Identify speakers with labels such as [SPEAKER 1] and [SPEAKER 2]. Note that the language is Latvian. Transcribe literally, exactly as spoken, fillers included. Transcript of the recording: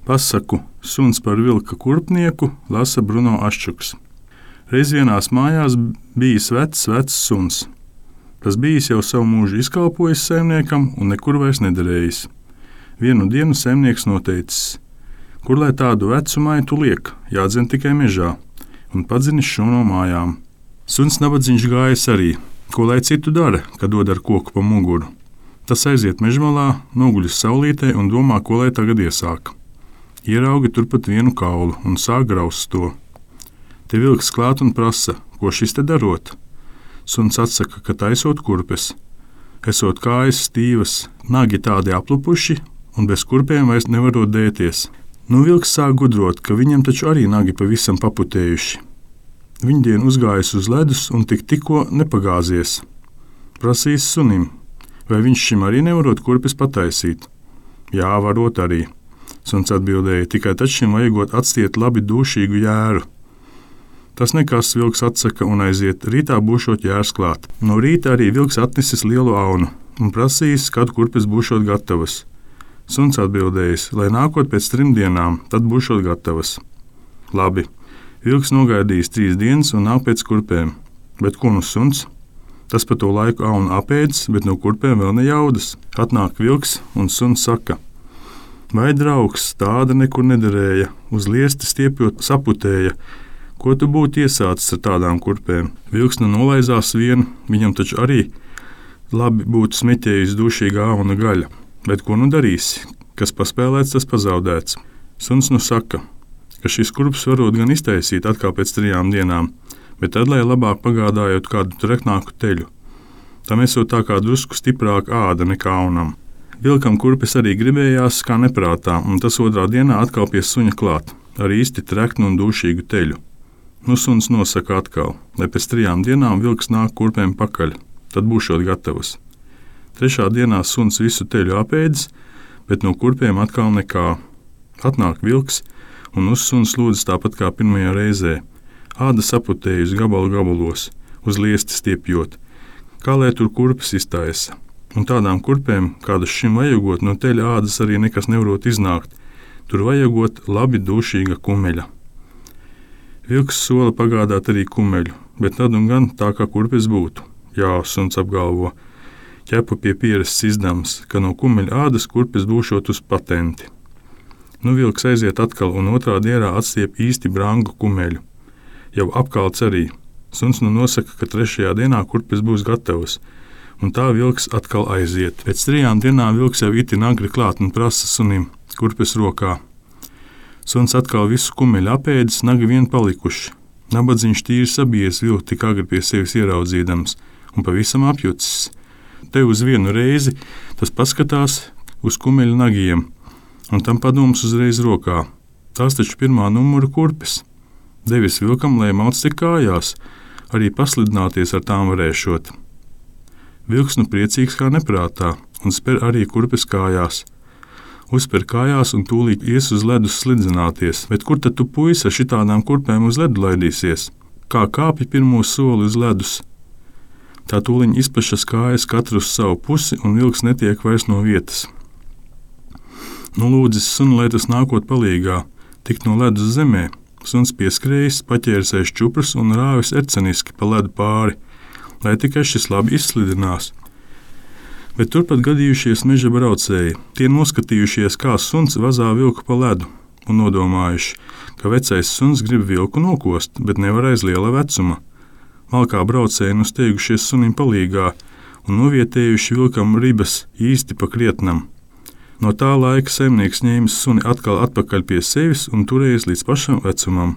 [SPEAKER 1] Pasaku Suns par vilka kurpnieku lasa Bruno Aščuks. Reiz vienās mājās bijis vecs, vecs suns. Tas bijis jau savu mūžu izkalpojis saimniekam un nekur vairs nederējis. Vienu dienu saimnieks noteicis, kur lai tādu vecu maitu liek, jādzen tikai mežā, un padzinis šo no mājām. Suns nabadzīgs gājis arī, ko lai citu dara, kad dod ar koku pa muguru. Tas aiziet mežmalā, noguļas saulītē un domā, ko lai tagad iesāk. Ierauga turpat vienu kaulu un sāk graust to. Te vilks klāt un prasa, ko šis te darot. Suns atsaka, ka taisot kurpes. Esot kājas stīvas, nagi tādi aplupuši un bez kurpēm vairs nevarot dēties. Nu vilks sāk gudrot, ka viņam taču arī nagi pavisam paputējuši. Viņdien uzgājis uz ledus un tik tikko nepagāzies. Prasīs sunim, vai viņš šim arī nevarot kurpes pataisīt. Jā, varot arī. Suns atbildēja, tikai taču šim vajagot atstiet labi dūšīgu jēru. Tas nekas, vilks atsaka un aiziet, rītā būšot jērs klāt. No rīta arī vilks atnesis lielu aunu un prasījis, kad kurpes būšot gatavas. Suns atbildējis, lai nākot pēc trim dienām, tad būšot gatavas. Labi, vilks nogaidījis trīs dienas un nāk pēc kurpēm. Bet ko nu suns? Tas pa to laiku aunu apēdis, bet no kurpēm vēl ne jaudas. Atnāk vilks un suns saka, vai draugs, tāda nekur nederēja, uz liesti stiepjot saputēja, ko tu būtu iesācis ar tādām kurpēm? Vilks nu nolaizās vienu, viņam taču arī labi būtu smeķējis dūšīga auna gaļa. Bet ko nu darīsi? Kas paspēlēts, tas pazaudēts. Suns nu saka, ka šis kurps varot gan iztaisīt atkal pēc trijām dienām, bet tad, lai labāk pagādājot kādu treknāku teļu. Tam esot tā kā drusku stiprāka āda nekā aunam. Vilkam kurpes arī gribējās kā neprātā, un tas otrā dienā atkal pie suņa klāt, ar īsti treknu un dūšīgu teļu. Nu suns nosaka atkal, lai pēc trijām dienām vilks nāk kurpēm pakaļ, tad būšot gatavas. Trešā dienā suns visu teļu apēdis, bet no kurpēm atkal nekā. Atnāk vilks, un uz suns lūdzas tāpat kā pirmajā reizē. Āda saputējusi gabalu gabalos, uz liesti stiepjot, kā lai tur kurpes iztaisa. Un tādām kurpēm, kādas šim vajagot, no teļa ādas arī nekas nevarot iznākt. Tur vajagot labi dūšīga kumeļa. Vilks sola pagādāt arī kumeļu, bet tad un gan tā kā kurpes būtu. Jā, suns apgalvo, ķepu pie pieres izdams, ka no kumeļa ādas kurpes būšot uz patenti. Nu vilks aiziet atkal un otrā dienā atstiep īsti brangu kumeļu. Jau apkalts arī. Suns nu nosaka, ka trešajā dienā kurpes būs gatavas. Un tā vilks atkal aiziet. Pēc trijām dienām vilks jau itin agri klāt un prasa sunim, kurpes rokā. Suns atkal visu kumeļu apēdis, nagi vien palikuši. Nabadzīgs tīri sabijies vilku tik agri pie sevis ieraudzīdams un pavisam apjucis. Te uz vienu reizi tas paskatās uz kumeļu nagiem, un tam padoms uzreiz rokā. Tās taču pirmā numura kurpes. Devis vilkam, lai mauc tik kājās, arī paslidināties ar tām varēšot. Vilks nu priecīgs kā neprātā un spēr arī kurpes kājās. Uzspēr kājās un tūlīt ies uz ledus slidzināties, bet kur tad tu puisi ar šitādām kurpēm uz ledu laidīsies? Kā kāpi pirmo soli uz ledus? Tā tūliņ izpašas kājas katru uz savu pusi un vilks netiek vairs no vietas. Nu lūdzis sunu, lai tas nākot palīgā, tikt no ledus zemē. Suns pieskrējis, paķērsēs čuprus un rāvis erceniski pa ledu pāri, lai tikai šis labi izslidinās. Bet turpat gadījušies meža braucēji, tie noskatījušies, kā suns vazā vilku pa ledu, un nodomājuši, ka vecais suns grib vilku nokost, bet nevar aiz liela vecuma. Malkā braucēji nu steigušies sunim palīgā un novietējuši vilkam ribas īsti pa krietnam. No tā laika saimnieks ņēmis suni atkal atpakaļ pie sevis un turējis līdz pašam vecumam.